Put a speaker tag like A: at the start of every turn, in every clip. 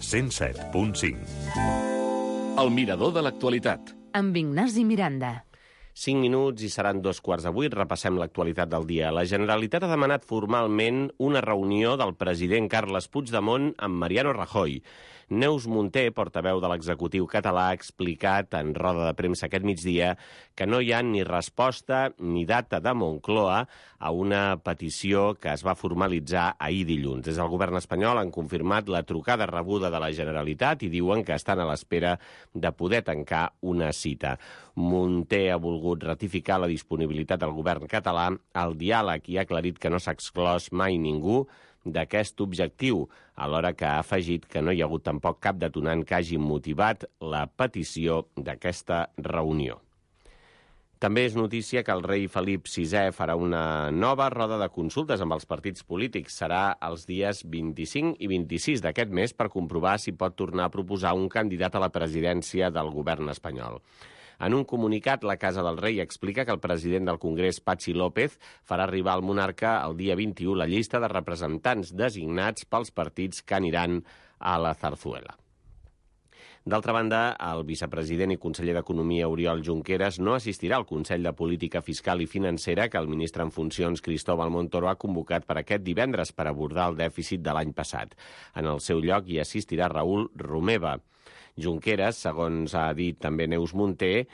A: 107.5.
B: El mirador de l'actualitat.
C: Amb Ignasi Miranda.
D: 5 minuts i seran 2:15. Repassem l'actualitat del dia. La Generalitat ha demanat formalment una reunió del president Carles Puigdemont amb Mariano Rajoy. Neus Munté, portaveu de l'executiu català, ha explicat en roda de premsa aquest migdia que no hi ha ni resposta ni data de Moncloa a una petició que es va formalitzar ahir dilluns. Des del govern espanyol han confirmat la trucada rebuda de la Generalitat i diuen que estan a l'espera de poder tancar una cita. Munté ha volgut ratificar la disponibilitat del govern català al diàleg i ha aclarit que no s'ha exclòs mai ningú d'aquest objectiu, alhora que ha afegit que no hi ha hagut tampoc cap detonant que hagi motivat la petició d'aquesta reunió. També és notícia que el rei Felip VI farà una nova roda de consultes amb els partits polítics. Serà els dies 25 i 26 d'aquest mes per comprovar si pot tornar a proposar un candidat a la presidència del govern espanyol. En un comunicat, la Casa del Rei explica que el president del Congrés, Patxi López, farà arribar al monarca el dia 21 la llista de representants designats pels partits que aniran a la Zarzuela. D'altra banda, el vicepresident i conseller d'Economia, Oriol Junqueras, no assistirà al Consell de Política Fiscal i Financera que el ministre en funcions, Cristóbal Montoro, ha convocat per aquest divendres per abordar el dèficit de l'any passat. En el seu lloc hi assistirà Raül Romeva. Junqueras, segons ha dit també Neus Munté,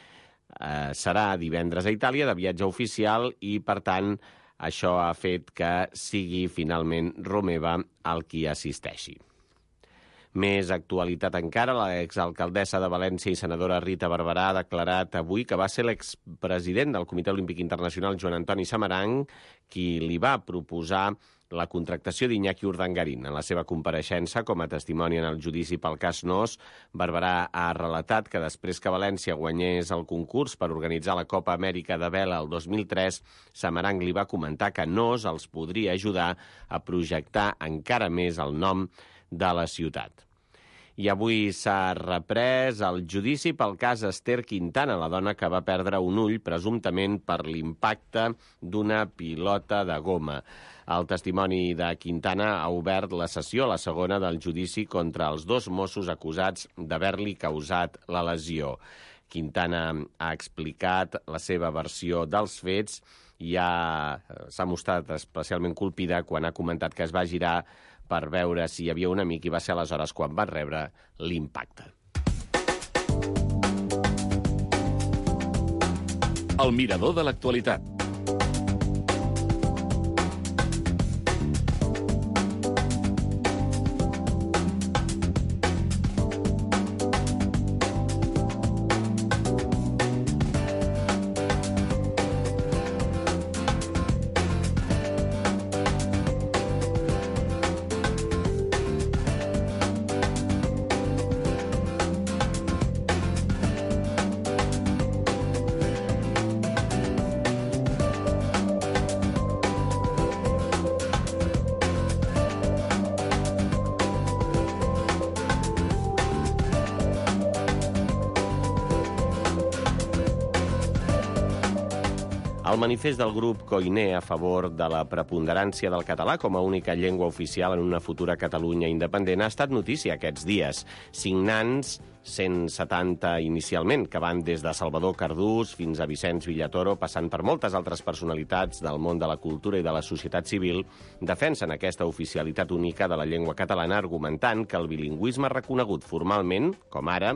D: serà divendres a Itàlia de viatge oficial i, per tant, això ha fet que sigui finalment Romeva el qui assisteixi. Més actualitat encara, l'exalcaldessa de València i senadora Rita Barberà ha declarat avui que va ser l'expresident del Comitè Olímpic Internacional, Joan Antoni Samaranch, qui li va proposar la contractació d'Iñaki Urdangarín. En la seva compareixença, com a testimoni en el judici pel cas Nos, Barberà ha relatat que després que València guanyés el concurs per organitzar la Copa Amèrica de Vela el 2003, Samaranch li va comentar que Nos els podria ajudar a projectar encara més el nom de la ciutat. I avui s'ha reprès el judici pel cas Esther Quintana, la dona que va perdre un ull presumptament per l'impacte d'una pilota de goma. El testimoni de Quintana ha obert la sessió, la segona del judici contra els dos Mossos acusats d'haver-li causat la lesió. Quintana ha explicat la seva versió dels fets i s'ha mostrat especialment colpida quan ha comentat que es va girar per veure si hi havia un amic i va ser aleshores quan va rebre l'impacte.
B: El mirador de l'actualitat.
D: El manifest del grup Koiné a favor de la preponderància del català com a única llengua oficial en una futura Catalunya independent ha estat notícia aquests dies. Signants, 170 inicialment, que van des de Salvador Cardús fins a Vicenç Villatoro, passant per moltes altres personalitats del món de la cultura i de la societat civil, defensen aquesta oficialitat única de la llengua catalana argumentant que el bilingüisme reconegut formalment, com ara,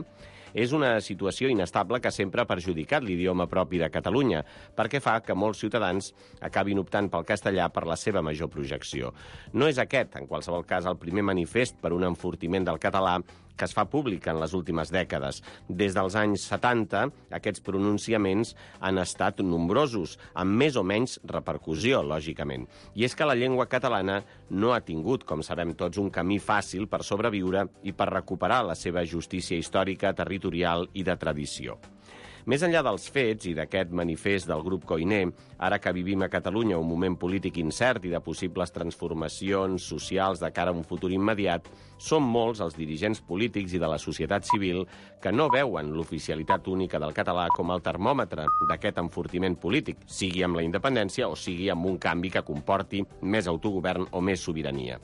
D: és una situació inestable que sempre ha perjudicat l'idioma propi de Catalunya, perquè fa que molts ciutadans acabin optant pel castellà per la seva major projecció. No és aquest, en qualsevol cas, el primer manifest per un enfortiment del català que es fa públic en les últimes dècades. Des dels anys 70, aquests pronunciaments han estat nombrosos, amb més o menys repercussió, lògicament. I és que la llengua catalana no ha tingut, com sabem tots, un camí fàcil per sobreviure i per recuperar la seva justícia històrica, territorial i de tradició. Més enllà dels fets i d'aquest manifest del grup Koiné, ara que vivim a Catalunya un moment polític incert i de possibles transformacions socials de cara a un futur immediat, són molts els dirigents polítics i de la societat civil que no veuen l'oficialitat única del català com el termòmetre d'aquest enfortiment polític, sigui amb la independència o sigui amb un canvi que comporti més autogovern o més sobirania.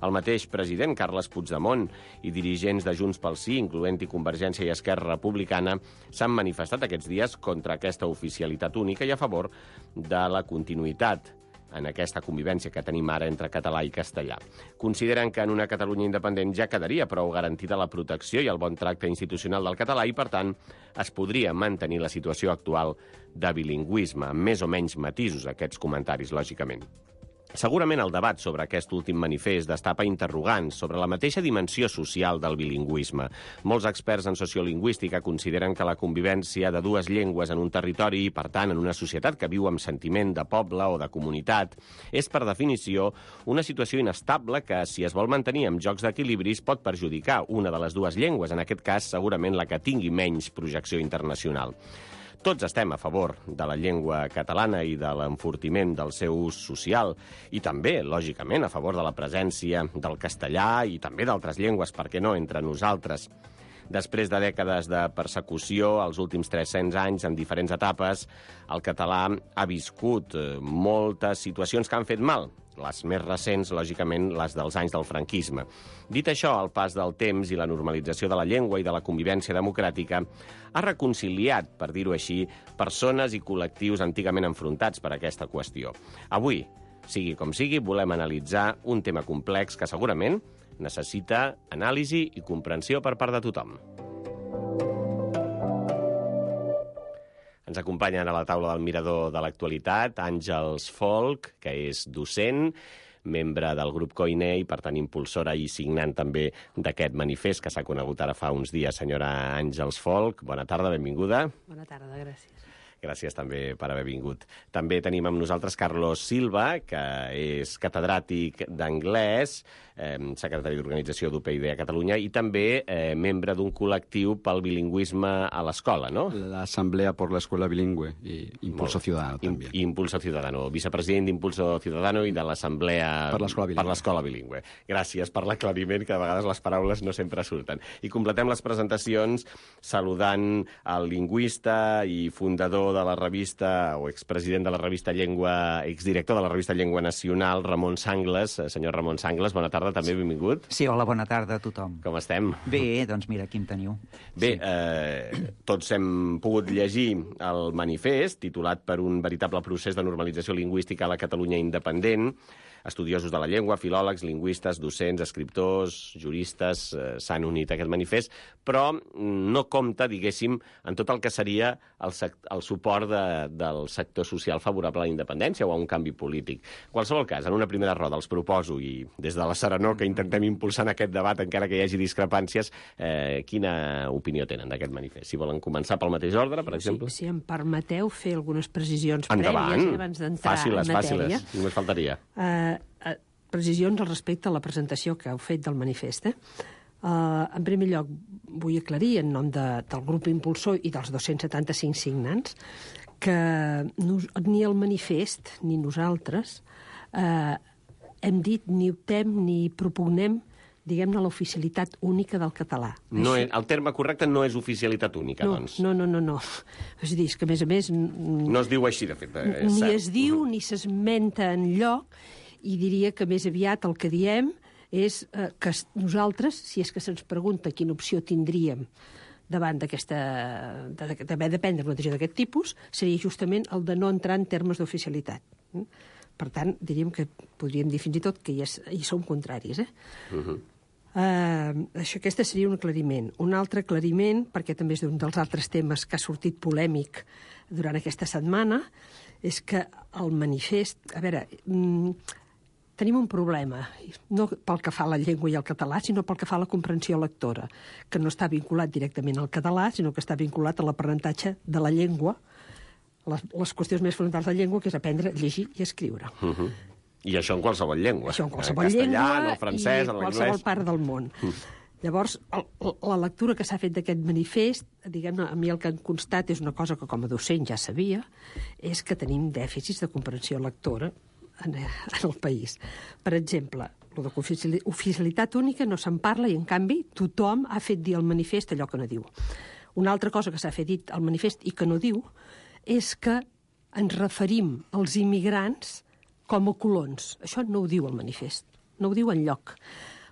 D: El mateix president, Carles Puigdemont, i dirigents de Junts pel Sí, incloent-hi Convergència i Esquerra Republicana, s'han manifestat aquests dies contra aquesta oficialitat única i a favor de la continuïtat en aquesta convivència que tenim ara entre català i castellà. Consideren que en una Catalunya independent ja quedaria prou garantida la protecció i el bon tracte institucional del català i, per tant, es podria mantenir la situació actual de bilingüisme, amb més o menys matisos aquests comentaris, lògicament. Segurament el debat sobre aquest últim manifest destapa interrogants sobre la mateixa dimensió social del bilingüisme. Molts experts en sociolingüística consideren que la convivència de dues llengües en un territori i, per tant, en una societat que viu amb sentiment de poble o de comunitat, és, per definició, una situació inestable que, si es vol mantenir amb jocs d'equilibris, pot perjudicar una de les dues llengües, en aquest cas, segurament la que tingui menys projecció internacional. Tots estem a favor de la llengua catalana i de l'enfortiment del seu ús social i també, lògicament, a favor de la presència del castellà i també d'altres llengües, per què no, entre nosaltres. Després de dècades de persecució, els últims 300 anys, en diferents etapes, el català ha viscut moltes situacions que han fet mal. Les més recents, lògicament, les dels anys del franquisme. Dit això, el pas del temps i la normalització de la llengua i de la convivència democràtica ha reconciliat, per dir-ho així, persones i col·lectius antigament enfrontats per aquesta qüestió. Avui, sigui com sigui, volem analitzar un tema complex que segurament necessita anàlisi i comprensió per part de tothom. Ens acompanyen a la taula del Mirador de l'Actualitat Àngels Folch, que és docent, membre del grup Koiné i, per tant, impulsora i signant també d'aquest manifest que s'ha conegut ara fa uns dies. Senyora Àngels Folch, bona tarda, benvinguda.
E: Bona tarda, gràcies.
D: Gràcies també per haver vingut. També tenim amb nosaltres Carlos Silva, que és catedràtic d'anglès, secretari d'Organització d'UPyD a Catalunya i també membre d'un col·lectiu pel bilingüisme a l'escola, no?
A: L'Assemblea por la Escuela Bilingüe i Impulso Ciudadano també.
D: Impulso Ciudadano, vicepresident d'Impulso Ciudadano i de l'Assemblea per l'Escola Bilingüe. Gràcies per l'aclariment, que de vegades les paraules no sempre surten. I completem les presentacions saludant el lingüista i fundador de la revista, o expresident de la revista Llengua, exdirector de la revista Llengua Nacional, Ramon Sangles. Senyor Ramon Sangles, bona tarda, també benvingut.
F: Sí, hola, bona tarda a tothom.
D: Com estem?
F: Bé, doncs mira, aquí em teniu.
D: Bé, tots hem pogut llegir el manifest, titulat per un veritable procés de normalització lingüística a la Catalunya independent. Estudiosos de la llengua, filòlegs, lingüistes, docents, escriptors, juristes s'han unit a aquest manifest, però no compta, diguéssim, en tot el que seria el suport del sector social favorable a la independència o a un canvi polític. En qualsevol cas, en una primera roda els proposo, i des de la serenor que intentem impulsar en aquest debat, encara que hi hagi discrepàncies, quina opinió tenen d'aquest manifest? Si volen començar pel mateix ordre, per exemple.
E: Si em permeteu fer algunes precisions
D: endavant.
E: prèvies abans d'entrar en matèria.
D: Fàciles, només faltaria.
E: Precisions al respecte a la presentació que heu fet del manifest. En primer lloc, vull aclarir en nom del grup impulsor i dels 275 signants que ni el manifest ni nosaltres hem dit, ni optem, ni propugnem, diguem-ne, l'oficialitat única del català.
D: No, el terme correcte no és oficialitat única, doncs.
E: No. És a dir, que a més...
D: No es diu així, de fet.
E: Ni es diu, ni s'esmenta enlloc, i diria que més aviat el que diem és que nosaltres, si és que se'ns pregunta quina opció tindríem davant d'haver de prendre una decisió d'aquest tipus, seria justament el de no entrar en termes d'oficialitat. Per tant, diríem que podríem dir fins i tot que hi som contraris. Aquest seria un aclariment. Un altre aclariment, perquè també és un dels altres temes que ha sortit polèmic durant aquesta setmana, és que el manifest... A veure, tenim un problema, no pel que fa a la llengua i al català, sinó pel que fa a la comprensió lectora, que no està vinculat directament al català, sinó que està vinculat a l'aprenentatge de la llengua, les qüestions més fonamentals de la llengua, que és aprendre a llegir i escriure.
D: I això en qualsevol llengua.
E: Això en qualsevol llengua
D: en el francès, en
E: l'anglès, i en qualsevol part del món. Llavors, la lectura que s'ha fet d'aquest manifest, diguem-ne, a mi el que em constat és una cosa que com a docent ja sabia, és que tenim dèficits de comprensió lectora en el país. Per exemple, el d'oficialitat única no se'n parla i, en canvi, tothom ha fet dir al manifest allò que no diu. Una altra cosa que s'ha fet dir al manifest i que no diu és que ens referim als immigrants com a colons. Això no ho diu el manifest. no ho diu enlloc.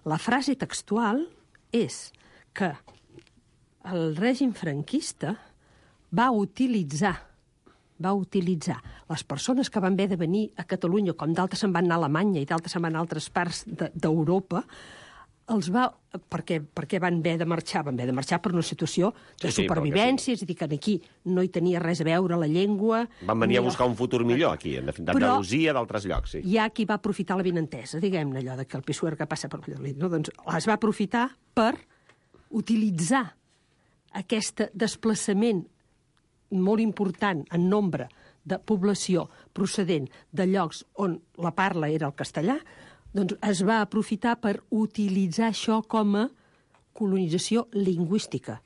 E: La frase textual és que el règim franquista va utilitzar les persones que van haver de venir a Catalunya, com d'altres se'n van anar a Alemanya i d'altres se'n van anar a altres parts d'Europa, per què van haver de marxar? Van haver de marxar per una situació de supervivència, és a dir, que aquí no hi tenia res a veure la llengua...
D: Van venir a buscar un futur millor aquí, d'Andalusia, d'altres llocs, sí.
E: Hi ha qui va aprofitar la benentesa, diguem-ne, allò que el Pisuerga passa per Valladolid, no? Doncs es va aprofitar per utilitzar aquest desplaçament molt important en nombre de població procedent de llocs on la parla era el castellà, doncs es va aprofitar per utilitzar això com a colonització lingüística.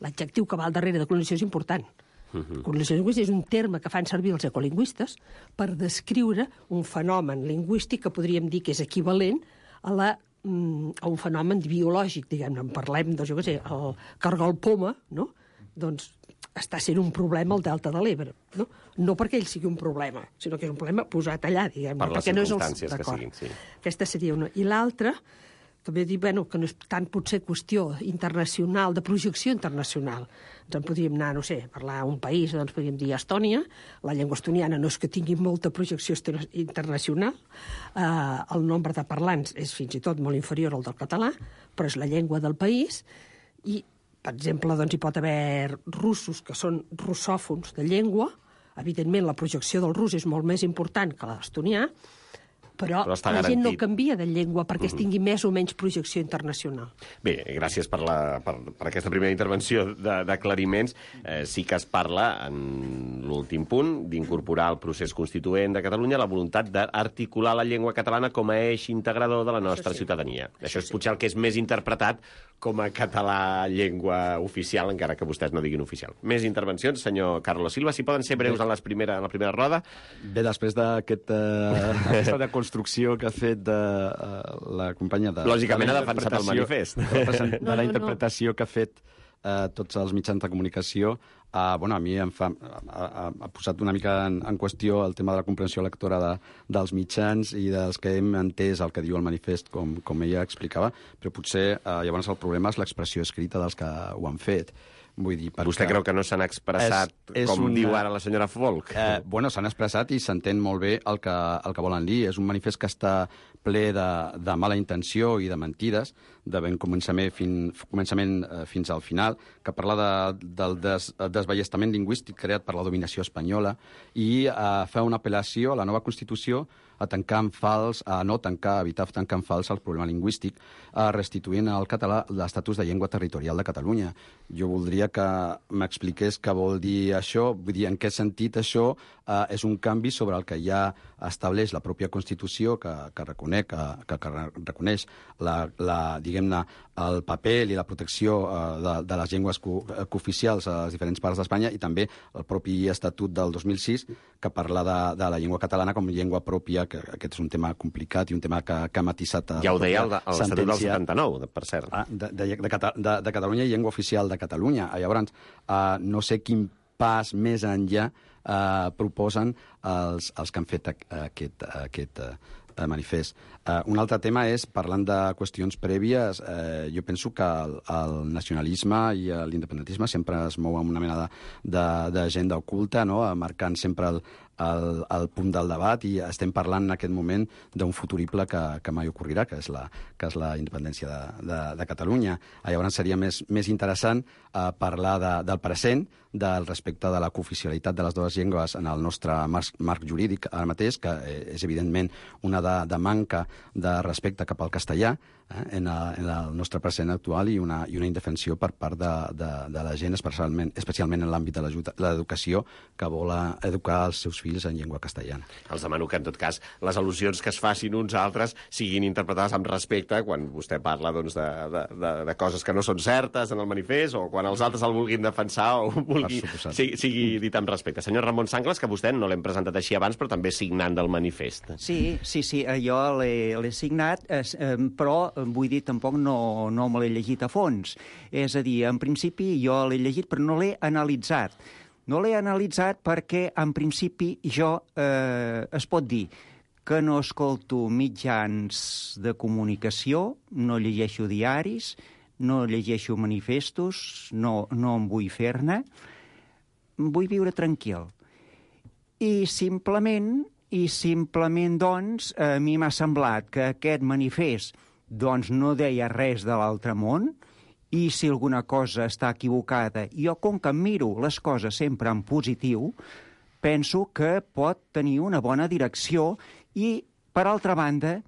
E: L'adjectiu que va al darrere de colonització és important. Colonització lingüística és un terme que fan servir els ecolingüistes per descriure un fenomen lingüístic que podríem dir que és equivalent a un fenomen biològic, diguem-ne. Parlem, doncs, jo què sé, el cargol poma, no? Doncs està sent un problema al Delta de l'Ebre, no? No perquè ell sigui un problema, sinó que és un problema posat allà, diguem-ne.
D: Per les circumstàncies que siguin, sí.
E: Aquesta seria una. I l'altra, també dir, que no és tant potser qüestió internacional, de projecció internacional. Ens en podríem anar, no sé, a parlar d'un país, doncs podríem dir Estònia. La llengua estoniana no és que tingui molta projecció internacional. El nombre de parlants és fins i tot molt inferior al del català, però és la llengua del país. I per exemple, doncs, hi pot haver russos que són russòfons de llengua. Evidentment, la projecció del rus és molt més important que l'estonià, però la gent no canvia de llengua perquè es tingui més o menys projecció internacional.
D: Bé, gràcies per aquesta primera intervenció d'aclariments. Sí que es parla, en l'últim punt, d'incorporar al procés constituent de Catalunya la voluntat d'articular la llengua catalana com a eix integrador de la nostra ciutadania. Això és potser el que és més interpretat com a català llengua oficial, encara que vostès no diguin oficial. Més intervencions, senyor Carlos Silva, si poden ser breus en la primera roda.
A: Bé, després d'aquesta deconstrucció que ha fet la companya de...
D: Lògicament ha defensat el manifest.
A: De la interpretació que ha fet tots els mitjans de comunicació, a mi ha posat una mica en qüestió el tema de la comprensió lectora dels mitjans i dels que hem entès el que diu el manifest, com ella explicava, però potser llavors el problema és l'expressió escrita dels que ho han fet. Vull dir,
D: vostè creu que no s'han expressat diu ara la senyora Folk?
A: S'han expressat i s'entén molt bé el que volen dir. És un manifest que està ple de mala intenció i de mentides, de ben començament fins al final, que parla del desballestament lingüístic creat per la dominació espanyola i fa una apel·lació a la nova Constitució a evitar tancar en fals el problema lingüístic, restituint al català l'estatus de llengua territorial de Catalunya. Jo voldria que m'expliqués què vol dir això, vull dir, en què sentit això és un canvi sobre el que ja estableix la pròpia Constitució, que reconeix diguem-ne, el paper i la protecció de les llengües cooficials a les diferents parts d'Espanya, i també el propi Estatut del 2006, que parla de la llengua catalana com a llengua pròpia, que aquest és un tema complicat i un tema que ha matisat...
D: Ja ho deia l'Estatut del 79, per cert.
A: De Catalunya i llengua oficial de Catalunya. Llavors, no sé quin pas més enllà proposen els que han fet aquest manifest. Un altre tema és, parlant de qüestions prèvies, jo penso que el nacionalisme i l'independentisme sempre es mou amb una mena d'agenda oculta, no? Marcant sempre el punt del debat, i estem parlant en aquest moment d'un futurible que mai ocorrirà, que és la independència de Catalunya. Llavors seria més interessant parlar del present, del respecte de la cooficialitat de les dues llengües en el nostre marc jurídic ara mateix, que és evidentment una de manca de respecte cap al castellà en el nostre present actual, i una indefensió per part de la gent, especialment en l'àmbit de l'educació, que vol educar els seus fills en llengua castellana.
D: Els demano que, en tot cas, les al·lusions que es facin uns altres siguin interpretades amb respecte quan vostè parla de coses que no són certes en el manifest, o quan els altres el vulguin defensar o sigui dit amb respecte. Senyor Ramon Sanglas, que vostè no l'hem presentat així abans, però també signant del manifest.
F: Sí, jo l'he signat, però vull dir, tampoc no me l'he llegit a fons. És a dir, en principi jo l'he llegit, però no l'he analitzat. No l'he analitzat perquè, en principi, es pot dir que no escolto mitjans de comunicació, no llegeixo diaris, no llegeixo manifestos, no em vull fer-ne. Vull viure tranquil. I simplement, doncs, a mi m'ha semblat que aquest manifest doncs, no deia res de l'altre món, i si alguna cosa està equivocada, jo, com que miro les coses sempre en positiu, penso que pot tenir una bona direcció i, per altra banda,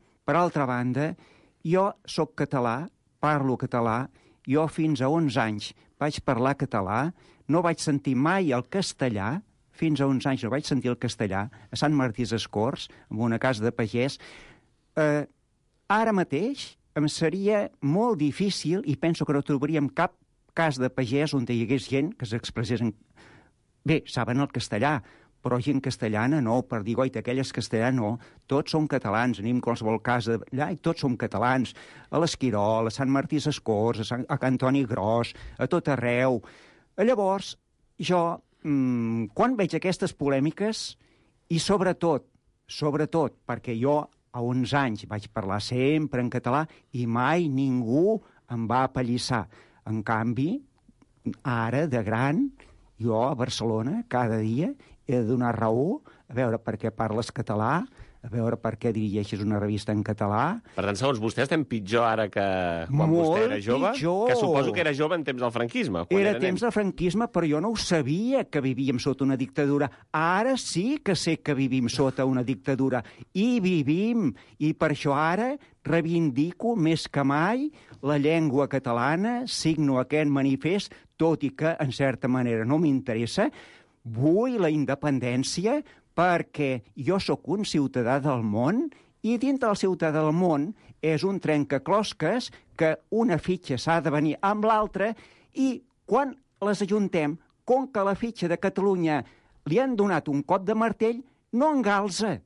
F: jo sóc català, parlo català, jo fins a 11 anys vaig parlar català, no vaig sentir mai el castellà, fins a 11 anys no vaig sentir el castellà, a Sant Martí Sescorts, en una casa de pagès. Ara mateix em seria molt difícil, i penso que no trobaríem cap cas de pagès on hi hagués gent que s'expressés en... Bé, saben el castellà, però gent castellana no, per dir, goita, aquelles castellà no, tots som catalans, anem qualsevol casa allà i tots som catalans, a l'Esquirol, a Sant Martí Sescorts, a Can Antoni Gros, a tot arreu. Llavors, jo, quan veig aquestes polèmiques, i sobretot, perquè jo a 11 anys vaig parlar sempre en català i mai ningú em va apallissar. En canvi, ara, de gran, jo a Barcelona, cada dia, he de donar raó, a veure per què parles català, a veure per què dirigeixes una revista en català.
D: Per tant, segons vostè, estem pitjor ara que quan vostè era jove?
F: Pitjor.
D: Que suposo que era jove en temps del franquisme.
F: Era temps del franquisme, però jo no ho sabia, que vivíem sota una dictadura. Ara sí que sé que vivim sota una dictadura. I vivim. I per això ara reivindico més que mai la llengua catalana, signo aquest manifest, tot i que, en certa manera, no m'interessa. Vull la independència perquè jo sóc un ciutadà del món i dintre del ciutadà del món és un trencaclosques que una fitxa s'ha de venir amb l'altra i quan les ajuntem, com que la fitxa de Catalunya li han donat un cop de martell, no engalza.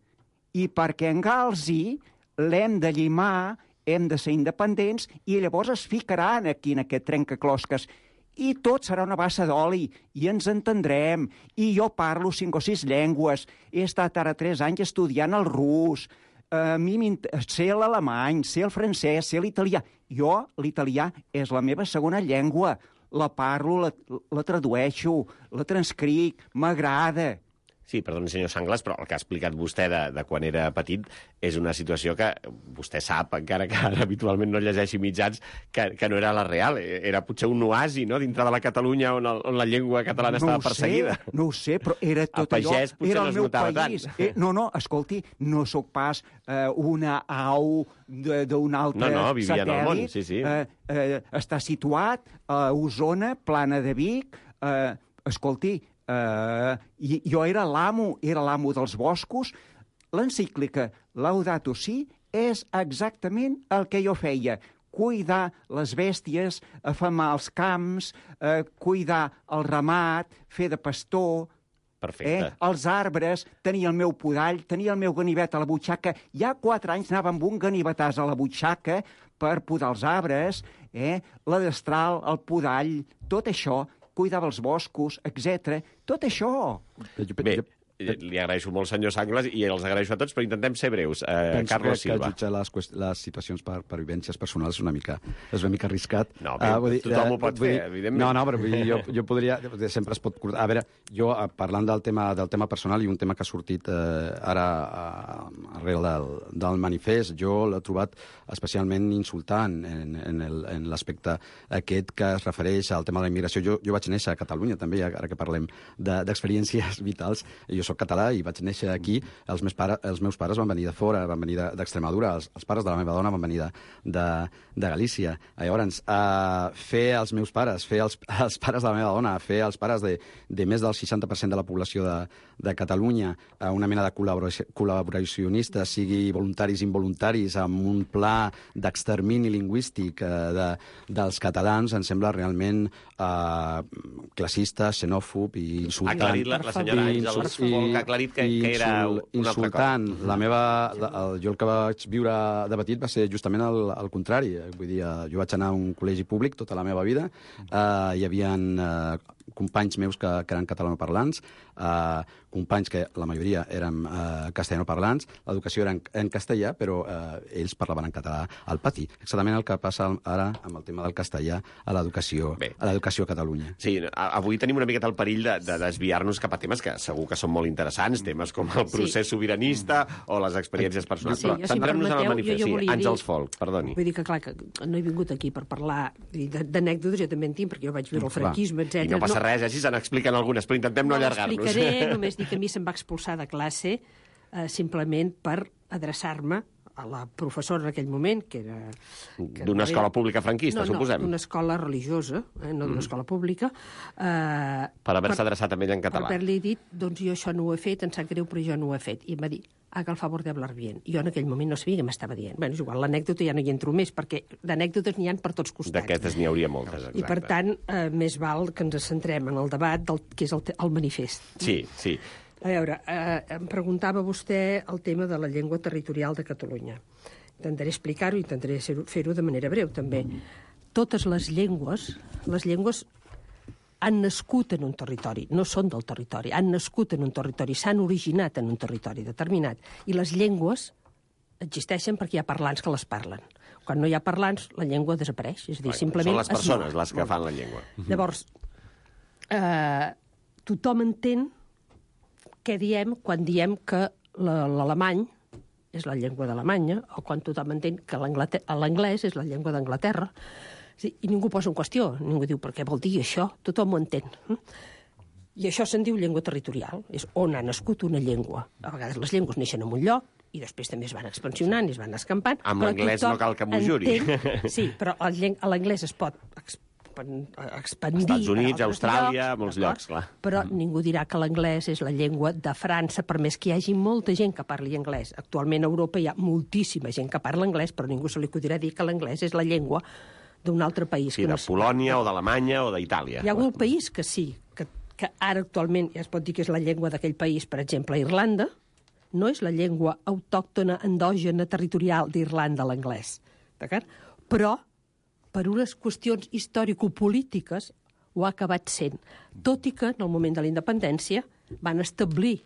F: I perquè engalzi l'hem de llimar, hem de ser independents i llavors es ficaran aquí en aquest trencaclosques. I tot serà una bassa d'oli, i ens entendrem, i jo parlo 5 o 6 llengües, he estat ara 3 anys estudiant el rus, a mi sé l'alemany, sé el francès, sé l'italià. Jo, l'italià és la meva segona llengua, la parlo, la tradueixo, la transcric, m'agrada.
D: Sí, perdoni, senyor Sanglas, però el que ha explicat vostè de quan era petit és una situació que vostè sap, encara que ara habitualment no llegeixi mitjans, que no era la real. Era potser un oasi, no?, dintre de la Catalunya on la llengua catalana estava perseguida.
F: No ho sé, però era tot allò...
D: A pagès potser no es notava tant.
F: No, escolti, no sóc pas una au d'un altre
D: no, vivia en el món, sí.
F: Està situat a Osona, Plana de Vic. Escolti, jo era l'amo dels boscos. L'encíclica Laudato Si és exactament el que jo feia. Cuidar les bèsties, afamar els camps, cuidar el ramat, fer de pastor...
D: Perfecte.
F: Els arbres, tenir el meu podall, tenir el meu ganivet a la butxaca. Ja 4 anys anava amb un ganivetàs a la butxaca per podar els arbres, la destral, el podall, tot això... cuidava els boscos, etc. Tot això.
D: Bé, li agraeixo molt, senyor Sanglas, i els agraeixo a tots, però intentem ser breus. Carlos Silva.
A: Penso que jutjar les situacions per vivències personals és una mica arriscat.
D: No, tothom ho pot fer, evidentment.
A: No, però jo podria... Sempre es pot... A veure, jo, parlant del tema personal, i un tema que ha sortit ara arrel del manifest, jo l'he trobat especialment insultant en l'aspecte aquest que es refereix al tema de la immigració. Jo vaig néixer a Catalunya, també, ara que parlem d'experiències vitals. Jo soc català i vaig néixer aquí. Els meus pares van venir de fora, van venir d'Extremadura, els pares de la meva dona van venir de Galícia. Llavors, fer els meus pares, fer els pares de la meva dona, fer els pares de més del 60% de la població de Catalunya, una mena de col·laboracionistes, sigui voluntaris i involuntaris, amb un pla d'extermini lingüístic dels catalans, em sembla realment classista, xenòfob i insultant.
D: Ha aclarit la senyora Àngels Folk, ha aclarit que era una altra cosa.
A: Jo el que vaig viure de petit va ser justament el contrari. Vull dir, jo vaig anar a un col·legi públic tota la meva vida, hi havia companys meus que eren catalanoparlants, companys que la majoria érem castellanoparlants, l'educació era en castellà, però ells parlaven en català al pati. Exactament el que passa ara amb el tema del castellà a l'educació a Catalunya.
D: Sí, avui tenim una miqueta el perill de desviar-nos cap a temes que segur que són molt interessants, temes com el procés sobiranista o les experiències personals. Però centrem-nos en el manifest. Sí, Àngels Folk, perdoni.
E: Vull dir que, clar, que no he vingut aquí per parlar d'anècdotes, jo també en tinc, perquè jo vaig viure el franquisme, etc.
D: I no passa res, si se n'expliquen algunes, però intentem no allargar-nos.
E: No l'explicaré, només dic que a mi se'm va expulsar de classe simplement per adreçar-me a la professora en aquell moment, que era...
D: D'una escola pública franquista, suposem.
E: No, d'una escola religiosa, no d'una escola pública.
D: Per haver-se adreçat a ella en català.
E: Per haver-li dit, doncs jo això no ho he fet, em sap greu, però jo no ho he fet. I em va dir, haga el favor de hablar bien. Jo en aquell moment no sabia què m'estava dient. Bé, és igual, l'anècdota ja no hi entro més, perquè d'anècdotes n'hi ha per tots costats.
D: D'aquestes n'hi hauria moltes, exacte.
E: I per tant, més val que ens centrem en el debat que és el manifest.
D: Sí, sí.
E: A veure, em preguntava vostè el tema de la llengua territorial de Catalunya. Intentaré explicar-ho i intentaré fer-ho de manera breu, també. Totes les llengües han nascut en un territori, no són del territori, han nascut en un territori, s'han originat en un territori determinat. I les llengües existeixen perquè hi ha parlants que les parlen. Quan no hi ha parlants, la llengua desapareix. És a dir, simplement
D: són les persones les que fan la llengua.
E: Llavors, tothom entén què diem quan diem que l'alemany és la llengua d'Alemanya, o quan tothom entén que l'anglès és la llengua d'Anglaterra. I ningú posa en qüestió, ningú diu per què vol dir això, tothom ho entén. I això se'n diu llengua territorial, és on ha nascut una llengua. A vegades les llengües neixen en un lloc, i després també es van expansionant i es van escampant.
D: Amb l'anglès no cal que m'ho juri.
E: Sí, però l'anglès es pot expandir...
D: Estats Units, Austràlia, molts llocs, clar.
E: Però ningú dirà que l'anglès és la llengua de França, per més que hi hagi molta gent que parli anglès. Actualment a Europa hi ha moltíssima gent que parla anglès, però ningú se li acudirà dir que l'anglès és la llengua d'un altre país.
D: Sí, de Polònia o d'Alemanya o d'Itàlia.
E: Hi ha algun país que sí, que ara actualment ja es pot dir que és la llengua d'aquell país, per exemple, Irlanda, no és la llengua autòctona, endògena, territorial d'Irlanda, l'anglès. D'acord? Però per unes qüestions històrico-polítiques ho ha acabat sent. Tot i que, en el moment de la independència, van establir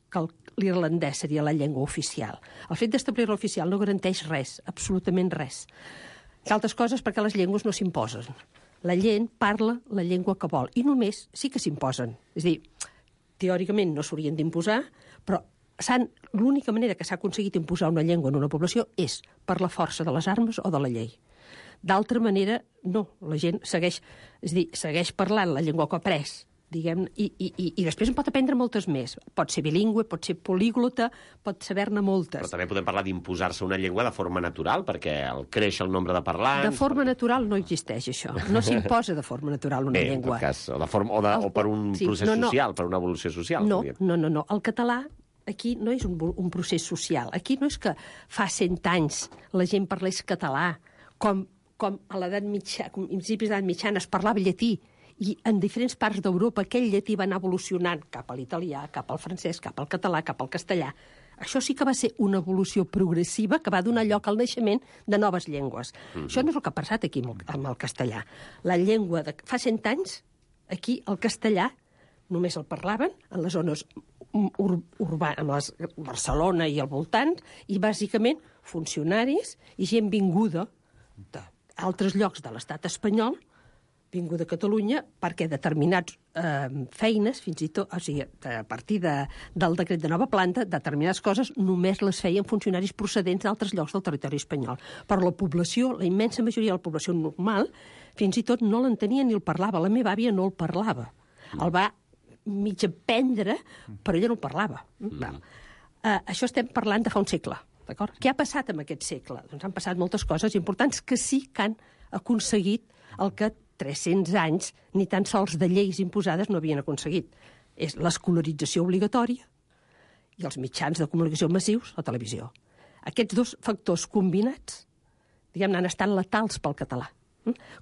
E: que l'irlandès seria la llengua oficial. El fet d'establir-la oficial no garanteix res, absolutament res. Altres coses perquè les llengües no s'imposen. La gent parla la llengua que vol, i només sí que s'imposen. És a dir, teòricament no s'haurien d'imposar, però l'única manera que s'ha aconseguit imposar una llengua en una població és per la força de les armes o de la llei. D'altra manera, no, la gent segueix parlant la llengua que ha après, diguem, i després en pot aprendre moltes més. Pot ser bilingüe, pot ser políglota, pot saber-ne moltes.
D: Però també podem parlar d'imposar-se una llengua de forma natural, perquè creix el nombre de parlants...
E: De forma natural no existeix això. No s'imposa de forma natural una llengua.
D: Bé, en tot cas, o per un procés social, per una evolució social.
E: No. El català aquí no és un procés social. Aquí no és que fa 100 anys la gent parlés català, com a l'edat mitjana, a principis d'edat mitjana es parlava llatí, i en diferents parts d'Europa aquell llatí va anar evolucionant cap a l'italià, cap al francès, cap al català, cap al castellà. Això sí que va ser una evolució progressiva que va donar lloc al naixement de noves llengües. Això no és el que ha passat aquí amb el castellà. La llengua fa 100 anys, aquí el castellà només el parlaven en les zones urbanes, Barcelona i al voltant, i bàsicament funcionaris i gent vinguda d'altres llocs de l'estat espanyol, vinguda a Catalunya, perquè determinats feines, fins i tot, o sigui, a partir del decret de nova planta, determinades coses només les feien funcionaris procedents d'altres llocs del territori espanyol. Però la població, la immensa majoria de la població normal, fins i tot no l'entenia ni el parlava. La meva àvia no el parlava. El va mig aprendre, però ella no el parlava. Això estem parlant de fa un segle. D'acord? Què ha passat en aquest segle? Doncs han passat moltes coses importants que sí que han aconseguit el que 300 anys ni tan sols de lleis imposades no havien aconseguit. És l'escolarització obligatòria i els mitjans de comunicació massius, la televisió. Aquests dos factors combinats, diguem-ne, han estat letals pel català.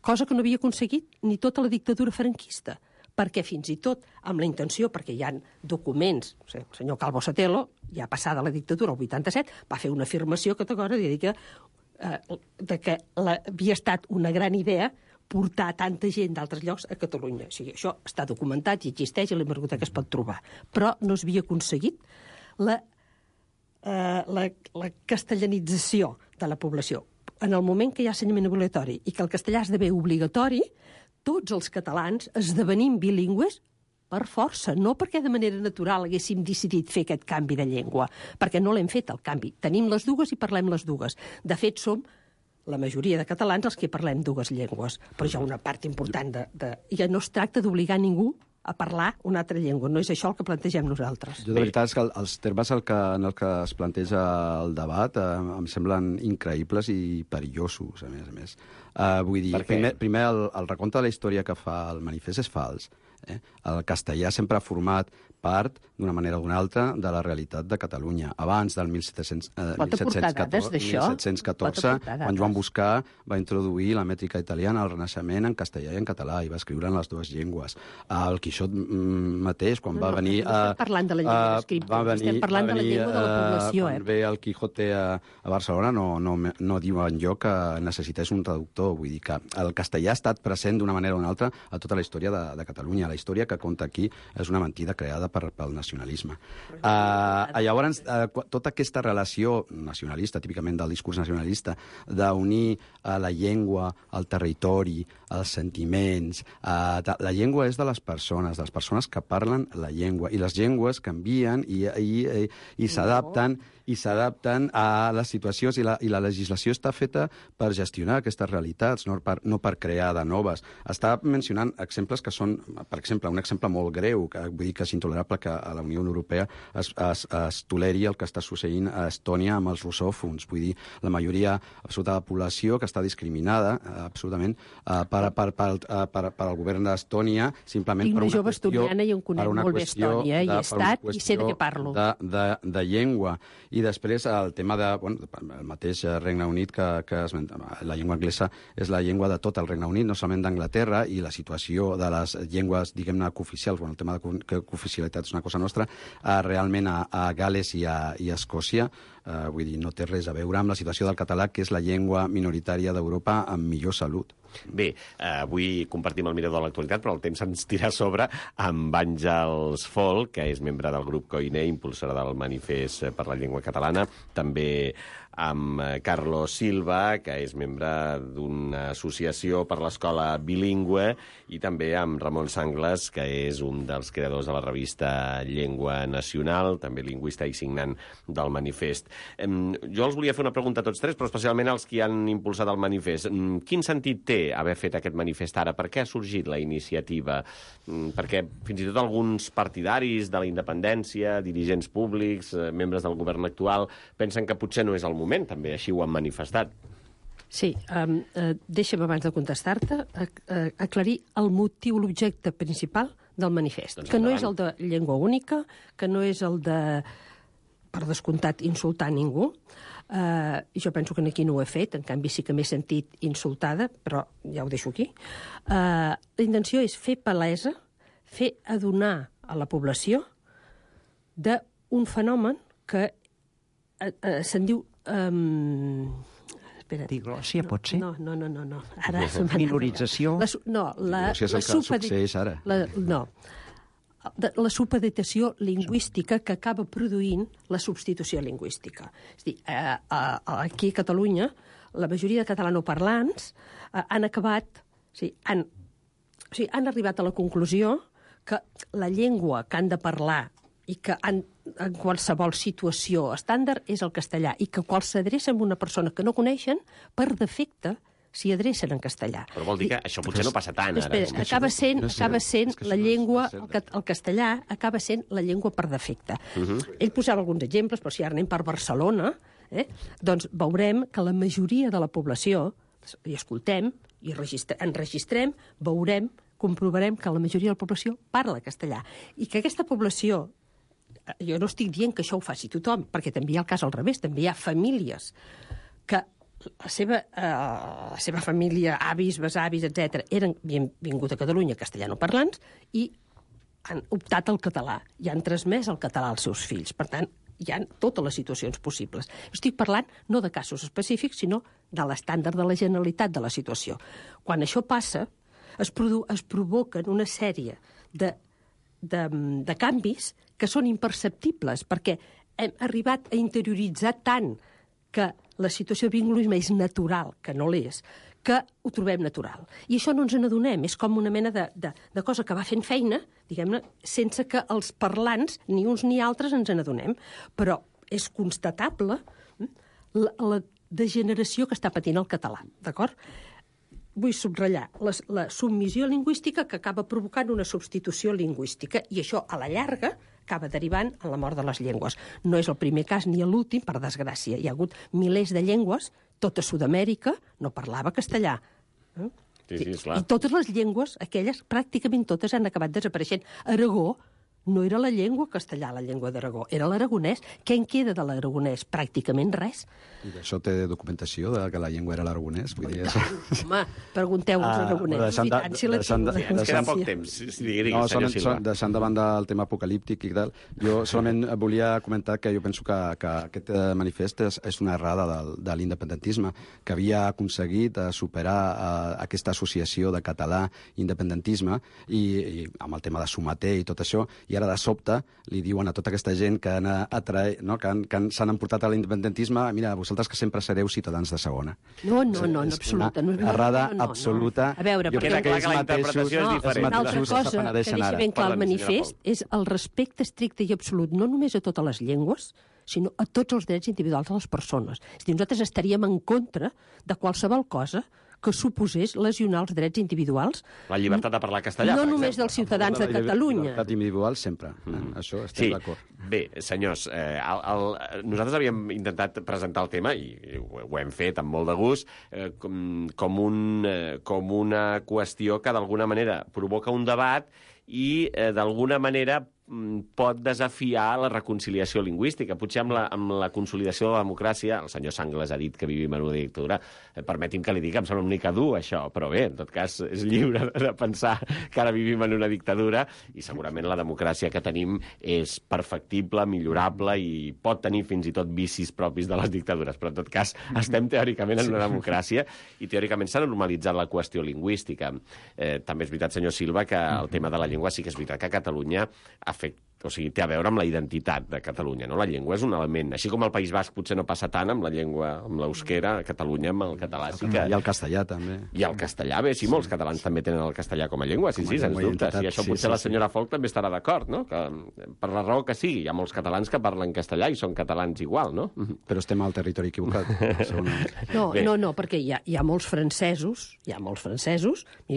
E: Cosa que no havia aconseguit ni tota la dictadura franquista, perquè fins i tot amb la intenció, perquè hi ha documents, el senyor Calvo Sotelo, ja passada la dictadura, el 87, va fer una afirmació categòrica de que havia estat una gran idea portar tanta gent d'altres llocs a Catalunya. O sigui, això està documentat i existeix i la biblioteca es pot trobar. Però no s'havia aconseguit la castellanització de la població. En el moment que hi ha ensenyament obligatori i que el castellà esdevé obligatori, tots els catalans esdevenim bilingües per força, no perquè de manera natural haguéssim decidit fer aquest canvi de llengua, perquè no l'hem fet, el canvi. Tenim les dues i parlem les dues. De fet, som la majoria de catalans els que parlem dues llengües, però hi ha una part important i no es tracta d'obligar ningú a parlar una altra llengua. No és això el que plantegem nosaltres.
A: Jo, de veritat, és que els termes en el que es planteja el debat em semblen increïbles i perillosos, a més. Vull dir, primer el recompte de la història que fa el manifest és fals. El castellà sempre ha format part, d'una manera o d'una altra, de la realitat de Catalunya. Abans del 1714, quan Joan Boscà va introduir la mètrica italiana al Renaixement en castellà i en català, i va escriure en les dues llengües. El Quixot mateix, quan va venir...
E: No estem parlant de la llengua d'escriptor, estem parlant de la llengua de la població.
A: Quan ve el Quijote a Barcelona no diu enlloc que necessités un traductor. Vull dir que el castellà ha estat present d'una manera o d'una altra a tota la història de Catalunya. La història que conta aquí és una mentida creada pel nacionalisme. Llavors, tota aquesta relació nacionalista, típicament del discurs nacionalista, d'unir la llengua, el territori, els sentiments... La llengua és de les persones que parlen la llengua, i les llengües canvien i s'adapten a les situacions, i la legislació està feta per gestionar aquestes realitats, no per crear de noves. Està mencionant exemples que són, per exemple, un exemple molt greu, que vull dir que és intolerable que a la Unió Europea es toleri el que està succeint a Estònia amb els russòfons. Vull dir, la majoria absoluta de la població que està discriminada absolutament per al govern d'Estònia, simplement per una qüestió...
E: Tinc una jove estoniana i en conec molt bé Estònia, i he estat i sé de què parlo.
A: De llengua. I després el tema el mateix Regne Unit que la llengua anglesa és la llengua de tot el Regne Unit, no solament d'Anglaterra, i la situació de les llengües, diguem-ne, cooficials, el tema de cooficialitat és una cosa nostra, realment a Gales i a Escòcia, vull dir, no té res a veure amb la situació del català, que és la llengua minoritària d'Europa amb millor salut.
D: Bé, avui compartim el mirador de l'actualitat, però el temps ens tira a sobre amb Àngels Fol, que és membre del grup Koiné, impulsora del manifest per la llengua catalana, també amb Carlos Silva, que és membre d'una associació per l'escola bilingüe, i també amb Ramon Sangles, que és un dels creadors de la revista Llengua Nacional, també lingüista i signant del manifest. Jo els volia fer una pregunta a tots tres, però especialment als que han impulsat el manifest. Quin sentit té haver fet aquest manifest ara? Per què ha sorgit la iniciativa? Perquè fins i tot alguns partidaris de la independència, dirigents públics, membres del govern actual, pensen que potser no és el moment, també així ho han manifestat.
E: Sí, deixa'm abans de contestar-te aclarir el motiu, l'objecte principal del manifest, doncs que no és el de llengua única, que no és el de, per descomptat, insultar ningú. Jo penso que aquí no ho he fet, en canvi sí que m'he sentit insultada, però ja ho deixo aquí. La intenció és fer palesa, fer adonar a la població d'un fenomen que se'n diu...
F: Diglòssia, pot ser?
E: No. Ara
F: minorització?
A: Diglòssia és el que succeeix ara.
E: La supeditació lingüística que acaba produint la substitució lingüística. És a dir, aquí a Catalunya, la majoria de catalanoparlants han acabat... Han arribat a la conclusió que la llengua que han de parlar i que en qualsevol situació estàndard és el castellà, i que quan s'adrecen a una persona que no coneixen, per defecte s'hi adrecen en castellà.
D: Però vol dir que això potser no passa tant, ara.
E: Acaba sent la llengua, el castellà acaba sent la llengua per defecte. Ell posava alguns exemples, però si ara anem per Barcelona, doncs veurem que la majoria de la població, i escoltem, i enregistrem, veurem, comprovarem que la majoria de la població parla castellà. I que aquesta població, jo no estic dient que això ho faci tothom, perquè també hi ha el cas al revés, també hi ha famílies que la seva família, avis, besavis, etc., havien vingut a Catalunya castellanoparlants i han optat al català i han transmès el català als seus fills. Per tant, hi ha totes les situacions possibles. Estic parlant no de casos específics, sinó de l'estàndard de la generalitat de la situació. Quan això passa, es provoquen una sèrie de canvis que són imperceptibles, perquè hem arribat a interioritzar tant que la situació de bilingüisme és natural, que no l'és, que ho trobem natural. I això no ens n'adonem, és com una mena de cosa que va fent feina, diguem-ne, sense que els parlants, ni uns ni altres, ens n'adonem. Però és constatable la degeneració que està patint el català, d'acord? Vull subratllar la submissió lingüística que acaba provocant una substitució lingüística, i això, a la llarga, acaba derivant en la mort de les llengües. No és el primer cas ni l'últim, per desgràcia. Hi ha hagut milers de llengües, tota Sud-amèrica no parlava castellà.
D: Sí, esclar.
E: I totes les llengües, aquelles, pràcticament totes han acabat desapareixent. Aragó no era la llengua castellà, la llengua d'Aragó, era l'aragonès. Què en queda de l'aragonès? Pràcticament res.
A: I d'això té documentació, de que la llengua era l'aragonès?
E: Home, pregunteu als aragonesos, i tant, si la
D: Ens queda poc temps.
A: No, deixant de banda el tema apocalíptic i tal, jo solament volia comentar que jo penso que aquest manifest és una errada de l'independentisme, que havia aconseguit superar aquesta associació de català i independentisme, i amb el tema de Someter i tot això, i ara de sobte li diuen a tota aquesta gent que s'han emportat a l'independentisme: mira, vosaltres que sempre sereu ciutadans de segona.
E: No, absoluta.
A: Errada absoluta.
E: A veure,
D: queda clar que la interpretació és diferent.
E: Una altra cosa que deixa ben clar el manifest és el respecte estricte i absolut, no només a totes les llengües, sinó a tots els drets individuals de les persones. És a dir, nosaltres estaríem en contra de qualsevol cosa que suposés lesionar els drets individuals.
D: La llibertat de parlar castellà,
E: no només dels ciutadans de Catalunya.
A: La llibertat individual sempre. Això estem d'acord.
D: Bé, senyors, nosaltres havíem intentat presentar el tema, i ho hem fet amb molt de gust, com una qüestió que d'alguna manera provoca un debat i d'alguna manera pot desafiar la reconciliació lingüística. Potser amb la consolidació de la democràcia, el senyor Sanglas ha dit que vivim en una dictadura, permeti'm que li digui, em sembla una mica dur això, però bé, en tot cas és lliure de pensar que ara vivim en una dictadura, i segurament la democràcia que tenim és perfectible, millorable, i pot tenir fins i tot vicis propis de les dictadures, però en tot cas estem teòricament en una democràcia i teòricament s'ha normalitzat la qüestió lingüística. També és veritat, senyor Silva, que el tema de la llengua sí que és veritat que a Catalunya té a veure amb la identitat de Catalunya, no? La llengua és un element. Així com al País Basc potser no passa tant amb la llengua, amb l'euskera, a Catalunya amb el català sí que...
A: I el castellà, també.
D: I el castellà, bé, sí, molts catalans també tenen el castellà com a llengua, sí, sens dubte. I això potser la senyora Folk també estarà d'acord, no? Que, per la raó que sigui, hi ha molts catalans que parlen castellà i són catalans igual, no?
A: Però estem al territori equivocat.
E: No, perquè hi ha molts francesos, i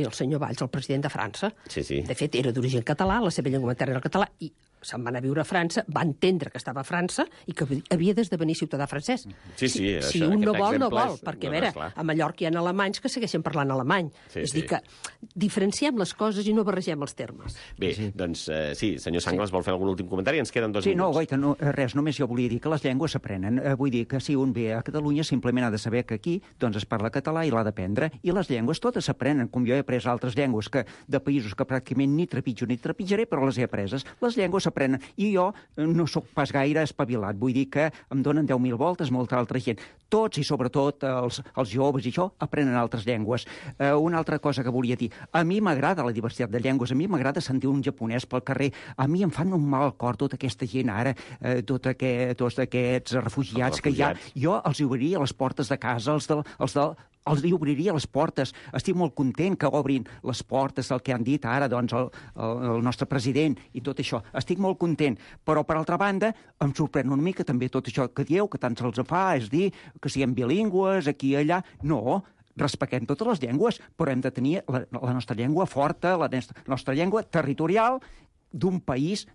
E: el senyor Valls, el president de França, de fet, era d'origen català, la seva llengua materna era el català, i se'n va anar a viure a França, va entendre que estava a França i que havia d'esdevenir ciutadà francès. Si un no vol, no vol, perquè, a veure, a Mallorca hi ha alemanys que segueixen parlant alemany. És dir, que diferenciem les coses i no barregem els termes.
D: Bé, doncs sí, senyor Sanglas vol fer algun últim comentari? Ens queden 2 minuts.
F: Sí, no, goita, res, només jo volia dir que les llengües s'aprenen. Vull dir que si un ve a Catalunya simplement ha de saber que aquí doncs es parla català i l'ha d'aprendre, i les llengües totes s'aprenen, com jo he après altres llengües de països que pràcticament ni trepitjo ni trepitjaré, però les he apreses. Les llengües s'aprenen, i jo no sóc pas gaire espavilat, vull dir que em donen 10.000 voltes molta altra gent. Tots, i sobretot els joves i això, aprenen altres llengües. Una altra cosa que volia dir, a mi m'agrada la diversitat de llengües, a mi m'agrada sentir un japonès pel carrer, a mi em fan un mal al cor tota aquesta gent ara, tots aquests refugiats que hi ha. Jo els obriria les portes de casa, els hi obriria les portes. Estic molt content que obrin les portes del que han dit ara doncs, el nostre president i tot això. Estic molt content. Però, per altra banda, em sorprèn una mica també tot això que dieu, que tant se'ls fa, és dir, que siguem bilingües, aquí i allà. No, respectem totes les llengües, però hem de tenir la nostra llengua forta, la nostra llengua territorial, d'un país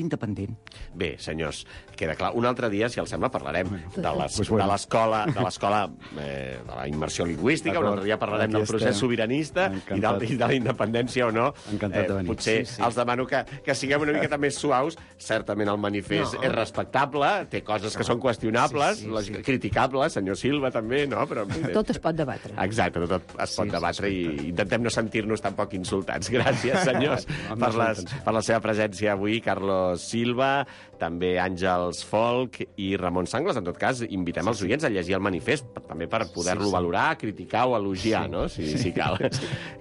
F: independent.
D: Bé, senyors, queda clar. Un altre dia, si els sembla, parlarem de l'escola, de la immersió lingüística, un altre dia parlarem del procés sobiranista i de la independència o no.
A: Encantat de venir.
D: Potser els demano que siguem una miqueta més suaus. Certament el manifest és respectable, té coses que són qüestionables, criticables, senyor Silva també, no? Però
E: tot es pot debatre.
D: Exacte, tot es pot debatre i intentem no sentir-nos tampoc insultats. Gràcies, senyors, per la seva seva presència avui, Carlos Silva, també Àngels Folk i Ramon Sangles. En tot cas, invitem els oients a llegir el manifest, també per poder-lo valorar, criticar o elogiar, no? Si cal.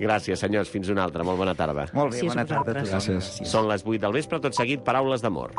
D: Gràcies, senyors. Fins una altra. Molt bona tarda.
F: Molt bé, bona tarda a
E: vosaltres.
F: tothom.
A: Gràcies.
D: Són les 8 del vespre, tot seguit, paraules d'amor.